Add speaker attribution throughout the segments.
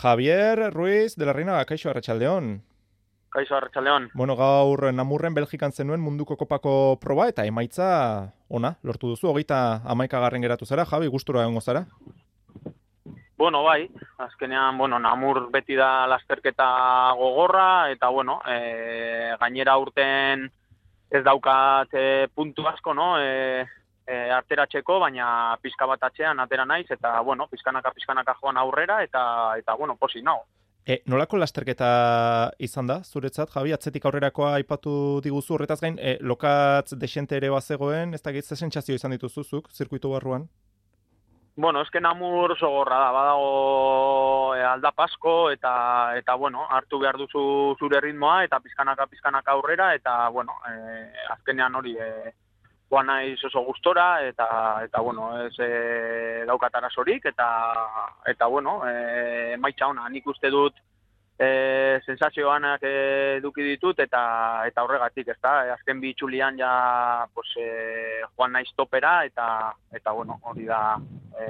Speaker 1: Javier Ruiz de la Reina, kaixo arratsaldeon.
Speaker 2: Kaixo arratsaldeon.
Speaker 1: Bueno, gaur Namurren Belgikan zenuen munduko kopako proba eta emaitza ona lortu duzu. 31. geratu zara, Javi, gustura egongo zara?
Speaker 2: Bueno, bai, azkenean, Namur beti da lasterketa gogorra, eta, gainera urten ez daukat puntu asko, no? Arteratzeko, baina pizka bat atzean atera naiz, eta, pizkanaka joan aurrera, eta posi nago.
Speaker 1: Nolako lasterketa izan da, zuretzat, Javi? Atzetik aurrerakoa aipatu diguzu, horretaz gain, lokatz desente ere bazegoen, ez da ze sentsazio izan dituzuzuk, zirkuitu barruan?
Speaker 2: Eske Namur oso gorra da, badago aldap asko, eta hartu behar duzu zure ritmoa, eta pizkanaka aurrera, eta, azkenean hori joan naiz oso gustora, eta ez daukat arazorik, eta emaitza ona, nik uste dut sensazioanak eduki ditut, eta horregatik, ez da, azken bi itzulian ja joan naiz topera, eta hori da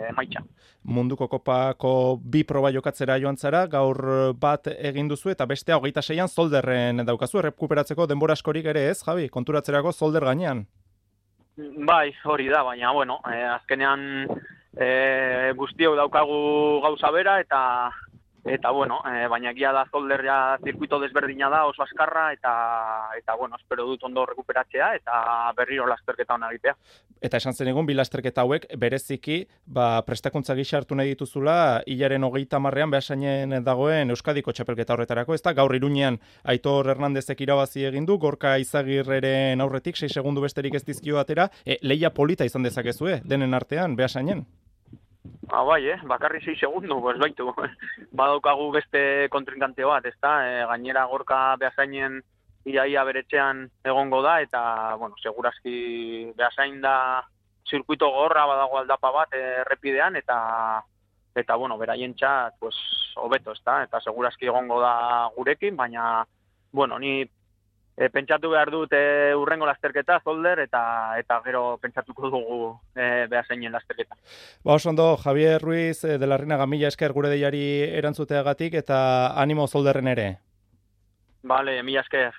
Speaker 2: emaitza.
Speaker 1: Munduko kopako bi proba jokatzera joan zara, gaur bat egin duzu, eta bestea 26an Zolderren daukazu, errekuperatzeko denbora askorik ere ez, Javi, konturatzerako Zolder gainean.
Speaker 2: Bai, hori da, baina, azkenean guztiok daukagu gauza bera, baina egia da Zolder ja zirkuito desberdina da, oso azkarra, eta espero dut ondo rekuperatzea, eta berriro lasterketa hona egitea.
Speaker 1: Eta esan zen egun, bi lasterketa hauek bereziki, prestakuntza gisa hartu nahi dituzula, hilaren 30ean Beasainen dagoen Euskadiko txapelketa horretarako, ez da, gaur Iruñean Aitor Hernandezek irabazi egin du, Gorka Izagirreren aurretik, 6 segundu besterik ez dizkio atera, lehia polita izan dezakezue, denen artean, Beasainen.
Speaker 2: Bai, bakarri 6 segundu, baitu. Badaukagu beste kontrinkante bat, ez da, gainera Gorka Beasainen iaia beretxean egongo da, eta, segurazki Beasain da zirkuito gorra badago aldapa bat errepidean, eta beraientzat, hobeto, ez da, eta segurazki egongo da gurekin, baina, ni pentsatu behar dut urrengo lasterketa, Zolder, eta gero pentsatuko dugu Beasainen lasterketa.
Speaker 1: Oso ondo, Javier Ruiz de la Reina, mila esker gure deiari erantzuteagatik, eta animo Zolderren ere.
Speaker 2: Vale, mila esker.